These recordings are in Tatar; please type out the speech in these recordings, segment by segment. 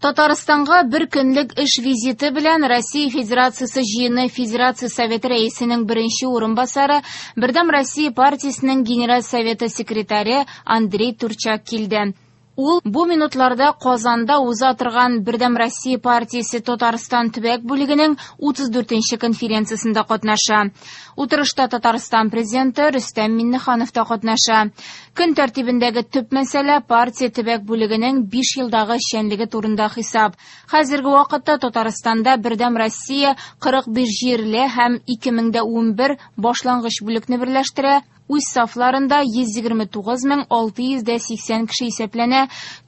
Татарстанга бер көнлек эш визиты белән Россия Федерациясе Җыены Федерация Советы рәисенең беренче урынбасары, Бердәм Россия партиясенең Генераль советы секретаре Андрей Турчак килде. Ул бу минутларда Казанда уза торган Бердәм Россия партиясе Татарстан төбәк бүлегенең 34 нче конференциясендә катнаша. Утырышта Татарстан президенты Рөстәм Миңнеханов та катнаша. Көн тәртибендәге төп мәсьәлә партия төбәк бүлегенең 5 елдагы эшчәнлеге турында хисап. Хәзерге вакытта Татарстанда Бердәм Россия 45 җирле һәм 2011 башлангыч бүлекне берләштерә. Үз сафларында 129 680 кеше исәпләнә.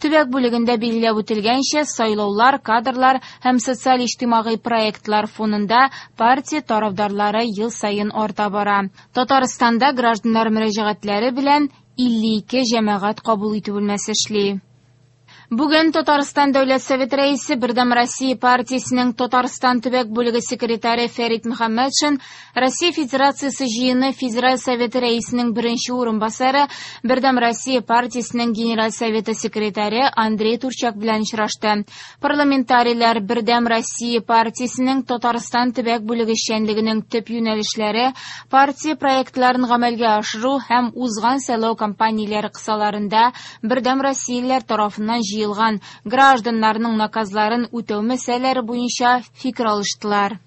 Төбәк бүлегендә билгеләп үтелгәнчә, сайлаулар, кадрлар һәм социаль-иҗтимагый проектлар фонында партия тарафдарлары ел саен арта бара. Татарстанда гражданнар мөрәҗәгатьләре белән 52 җәмәгать кабул итү бүлмәсе эшли. Бүген Татарстан Дәүләт Советы рәисе, Бердәм Россия партиясенең Татарстан төбәк бүлеге секретаре Фәрит Мөхәммәтшин Россия Федерациясе Җыены Федераль Советы рәисенең беренче урынбасары, Бердәм Россия партиясенең Генераль Советы секретаре Андрей Турчак белән очрашты. Парламентарийлар Бердәм Россия партиясенең Татарстан төбәк бүлеге эшчәнлегенең төп юнәлешләре, партия проектларын гамәлгә ашыру һәм узган сайлау кампанияләре кысаларында Бердәм Россиялеләр тарафыннан җыелган гражданнарның наказларын үтәү мәсьәләләре буенча фикер алыштылар.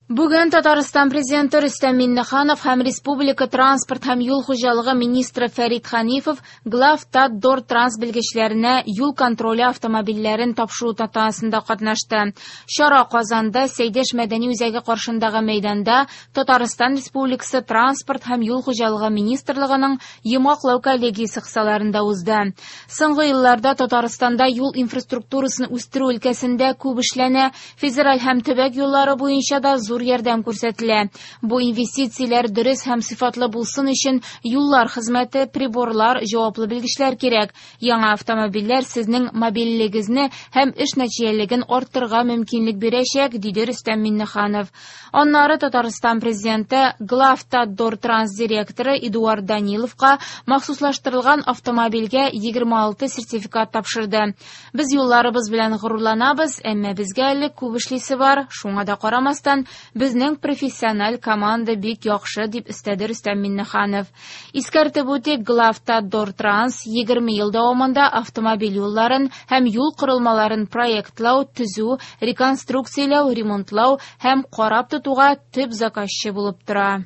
Бүген Татарстан президенты Рөстәм Миңнеханов һәм республика транспорт һәм юл хуҗалыгы министры Фәрит Ханифов Главтатдортранс белгечләренә юл контроле автомобильләрен тапшыру тантанасында катнашты. Чара Казанда Сәйдәш мәдәни үзәге каршындагы мәйданда Татарстан Республикасы Транспорт һәм юл хуҗалыгы министрлыгының йомгаклау коллегиясе кысаларында узды. Соңгы елларда Татарстанда юл инфраструктурасын үстерү өлкәсендә күп эшләнә, федераль һәм төбәк юллары буенча да зур ярдәм күрсәтелә. Бу инвестицияләр дөрес һәм сыйфатлы булсын өчен юллар хезмәте, приборлар, җаваплы белгечләр кирәк. Яңа автомобильләр сезнең мобильлегегезне һәм эш нәтиҗәлелеген арттырырга мөмкинлек бирәчәк, диде Рөстәм Миңнеханов. Аннары Татарстан президенты Главтатдортранс директоры Эдуард Даниловка махсуслаштырылган автомобильгә 26 сертификат тапшырды. Без юлларыбыз белән горурланабыз, әмма безгә әле күп эшлисе бар. Шуңа да карамастан, безнең профессиональ команда бик яхшы, дип өстәде Рөстәм Миңнеханов. Искәртеп үтик, Главтатдортранс 20 ел дәвамында автомобиль юлларын һәм юл корылмаларын проектлау, төзү, реконструкцияләү, ремонтлау һәм карап тотуга төп заказчы булып тора.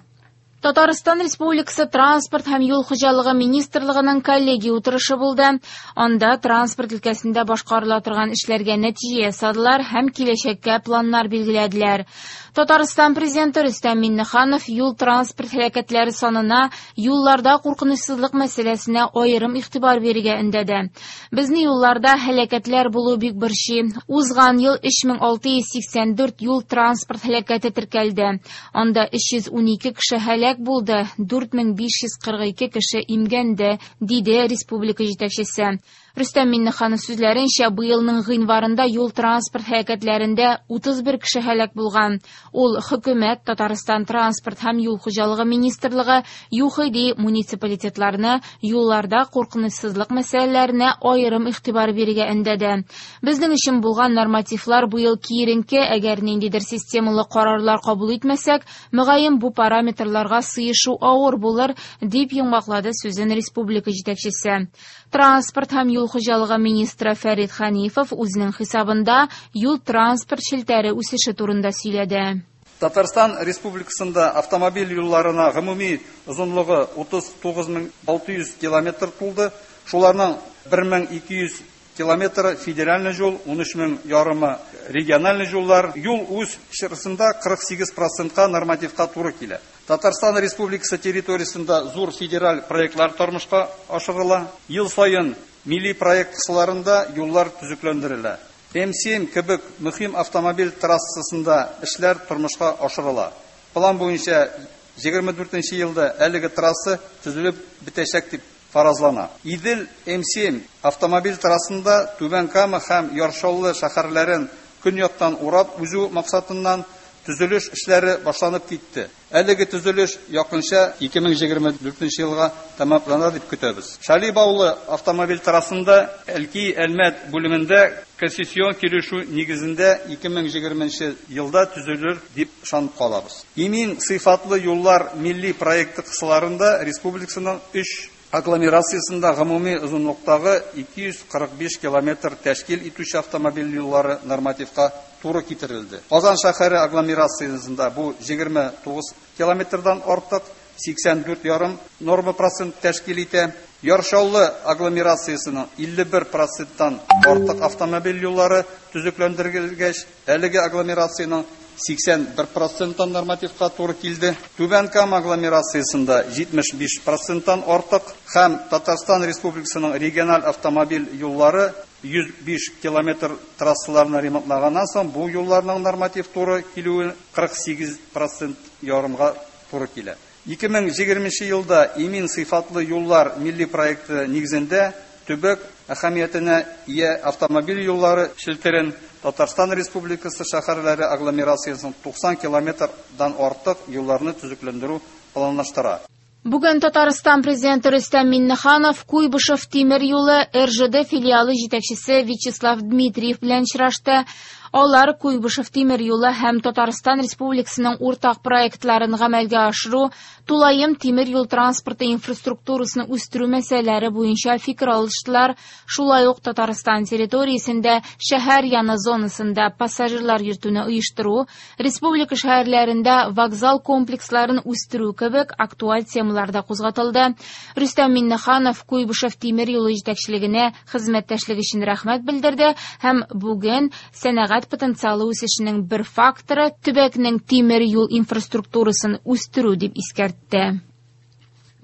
Татарстан Республикасы Транспорт һәм юл хуҗалыгы министрлыгының коллегия утырышы булды. Анда транспорт өлкәсендә башкарыла торган эшләргә нәтиҗә ясадылар һәм киләчәккә планнар билгеләделәр. Татарстан Президенты Рөстәм Миңнеханов юл-транспорт һәлакәтләре санына, юлларда куркынычсызлык мәсьәләсенә аерым игътибар бирергә өндәде. Безне юлларда һәлакәтләр булу бик борчый. Узган ел 3684 юл-транспорт һәлакәте теркәлде. Анда 312 кеше һәлак булды, 4542 кеше имгәнде, диде республика җитәкчесе. Рөстәм Миңнеханов сүзләренчә, быелның гыйнварында юл-транспорт һәлакәтләрендә 31 кеше һәлак булган. Ул хөкүмәт, Татарстан Транспорт һәм юл хуҗалыгы министрлыгы, ЮХИДИ, муниципалитетларны юлларда куркынычсызлык мәсьәләләренә аерым игътибар бирергә өндәде. Безнең өчен булган нормативлар быел киеренке, әгәр ниндидер системалы карарлар кабул итмәсәк, мөгаен бу параметрларга сыешу авыр булыр, дип йомгаклады сүзен республика җитәкчесе. Транспорт һәм юл хуҗалыгы министры Фәрит Ханифов үзенең хисабында юл-транспорт челтәре үсеше турында сөйләде. Татарстан Республикасында автомобиль юлларына гомуми озынлыгы 39 600 километр тулды. Шуларның 1200 километры федеральный юл, 13 мең ярымы региональный юллар. Юл үз чирасында 48 процентка нормативка туры килә. Татарстан Республикасы территориясендә зур федераль проектлар тормышка ашырыла. Ел саен милли проект кысаларында юллар төзекләндерелә. М7 кебек мөһим автомобиль трассасында эшләр тормышка ашырыла. План буенча 24 елда әлеге трасса төзелеп бетәчәк дип фаразлана. Идел М7 автомобиль трассасында Түбән Кама һәм Яр Чаллы шәһәрләрен көньяктан урап узу максатыннан төзелеш эшләре башланып китте. Әлеге төзелеш якынча 2024 елга тәмамланыр дип көтәбез. Шали Баулы автомобиль трассасында Әлки Әлмәт бүлемендә концессион килешү нигезендә 2020 елда төзелер дип ышанып калабыз. Имин сыйфатлы юллар милли проекты кысаларында республикасының 3 агломерациясендә гомуми озынлыктагы 245 километр тәшкил итүче автомобиль юллары нормативка туры китерелде. Казан шәһәре агломерациясендә бу 29 километрдан артык 84,5 норма процент тәшкил итә. Яр Чаллы агломерациясенең 51 проценттан артык автомобиль юллары төзекләндерелгәч, әлеге агломерациянең 81 проценттан нормативка туры килде. Түбән Кама агломерациясендә 75 проценттан артык һәм Татарстан Республикасының региональ автомобиль юллары 105 километр трассаларны ремонтлаганнан соң бу юлларның норматив туры килүе 48 процент ярымга туры килә. 2020 елда имин сыйфатлы юллар милли проекты нигезендә төбәк әһәмиятенә ия автомобиль юллары челтәрен Татарстан Республикасы шәһәрләре агломерациясының 90 километрдан артык юлларны төзекләндерү планлаштыра. Бүген Татарстан президенты Рөстәм Миңнеханов Куйбышев тимер юлы РЖД филиалы җитәкчесе Вячеслав Дмитриев белән очрашты. Алар Куйбышев тимер юлы һәм Татарстан Республикасының уртак проектларын гамәлгә ашыру, тулаем тимер юл транспорты инфраструктурасын үстерү мәсьәләләре буенча фикер алыштылар. Шулай ук Татарстан территориясендә шәһәр яны зонасында пассажирлар йөртүне оештыру, республика шәһәрләрендә вокзал комплексларын үстерү кебек актуаль темалар да кузгатылды. Рөстәм Миңнеханов Куйбышев тимер юлы җитәкчелегенә хезмәттәшлек өчен рәхмәт белдерде һәм бүген сәнәгать потенциалы үсешенең бер факторы төбәкнең тимер юл инфраструктурасын үстерү дип искәртте.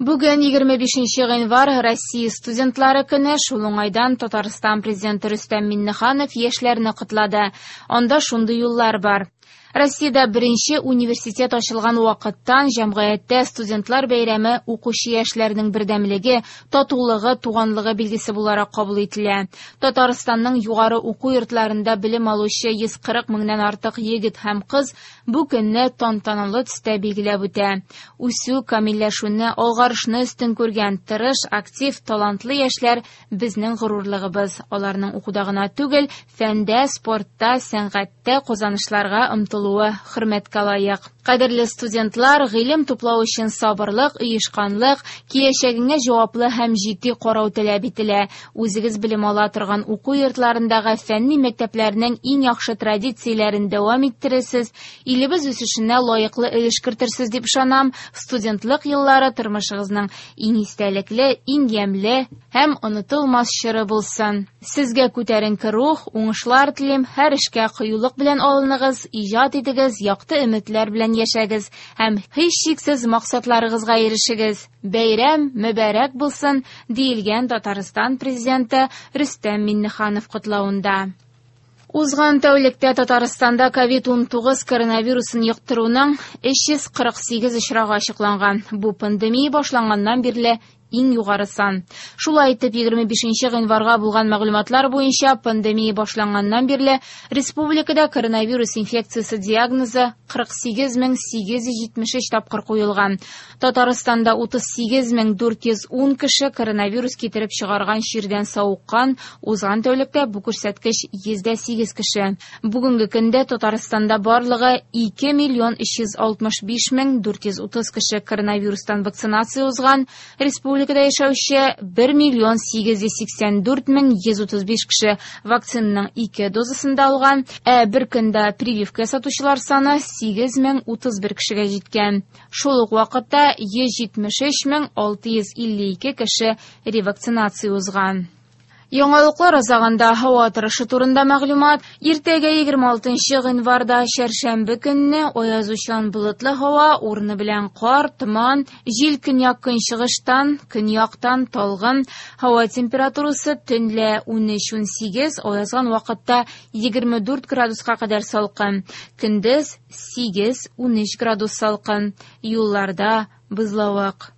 Бүген 25 гыйнвар Россия студентлары көне. Шул уңайдан Татарстан президенты Рөстәм Миңнеханов яшьләрне котлады. Анда шундый юллар бар. Россиядә беренче университет ачылган вакыттан җәмгыятьтә студентлар бәйрәме укучы яшьләрнең бердәмлеге, татулыгы, туганлыгы билгесе буларак кабул ителә. Татарстанның югары уку йортларында белем алучы 140 меңнән артык егет һәм кыз бу көнне тантаналы төстә билгеләп үтә. Үсү, камилләшүне, алгарышны өстен күргән тырыш, актив, талантлы яшьләр безнең горурлыгыбыз. Аларның укуда гына түгел, фәндә, спортта, сәнгатьтә казанышларга омтылуы хөрмәткә лаек. Кадерле студентлар, гыйлем туплау өчен сабырлык, оешканлык, киләчәгеңә җаваплы һәм җитди карау таләп ителә. Үзегез белем ала торган уку йортларындагы фәнни мәктәпләрнең иң яхшы традицияләрен дәвам иттерерсез, илебез үсешенә лаеклы өлеш кертерсез дип ышанам. Студентлык еллары тормышыгызның иң истәлекле, иң ямьле һәм онытылмас чоры булсын. Сезгә күтәренке рух, уңышлар телим, һәр эшкә кыюлык белән алыныгыз, иҗат итегез, якты өметләр белән яшәгез һәм һичшиксез максатларыгызга ирешегез. Бәйрәм мөбарәк булсын, диелгән Татарстан президенты Рөстәм Миңнеханов котлавында. Узган тәүлектә Татарстанда COVID-19 коронавирусын йоктыруның 348 очрагы ачыкланган. Бу пандемия башланганнан бирле иң югары сан. Шулай итеп, 25 гыйнварга булган мәгълүматлар буенча пандемия башланганнан бирле республикада коронавирус инфекциясе диагнозы 48873 тапкыр куелган. Татарстанда 38410 кеше коронавирус китереп чыгарган чирдән савыккан. Узган тәүлектә бу күрсәткеч 108 кеше. Бүгенге көндә Татарстанда барлыгы 2 365 430 кеше коронавирустан вакцинация узган. Республикада яшәүче 1 884 135 кеше вакцинаның 2 дозасын да алган, ә бер көндә прививка ясатучылар саны 8031 кешегә җиткән. Шул ук вакытта 173 652 кеше ревакцинация узган. Яңалыклар азагында һава торышы турында мәгълүмат. Иртәгә 26 гыйнварда чәршәмбе көнне аязучан болытлы һава, урыны белән кар, томан, җил көньяк-көнчыгыштан, көньяктан талгын. Һава температурасы төнлә 13-18, аязган вакытта 24 градуска кадәр салкын. Көндез 8-13 градус салкын. Юлларда бозлавык.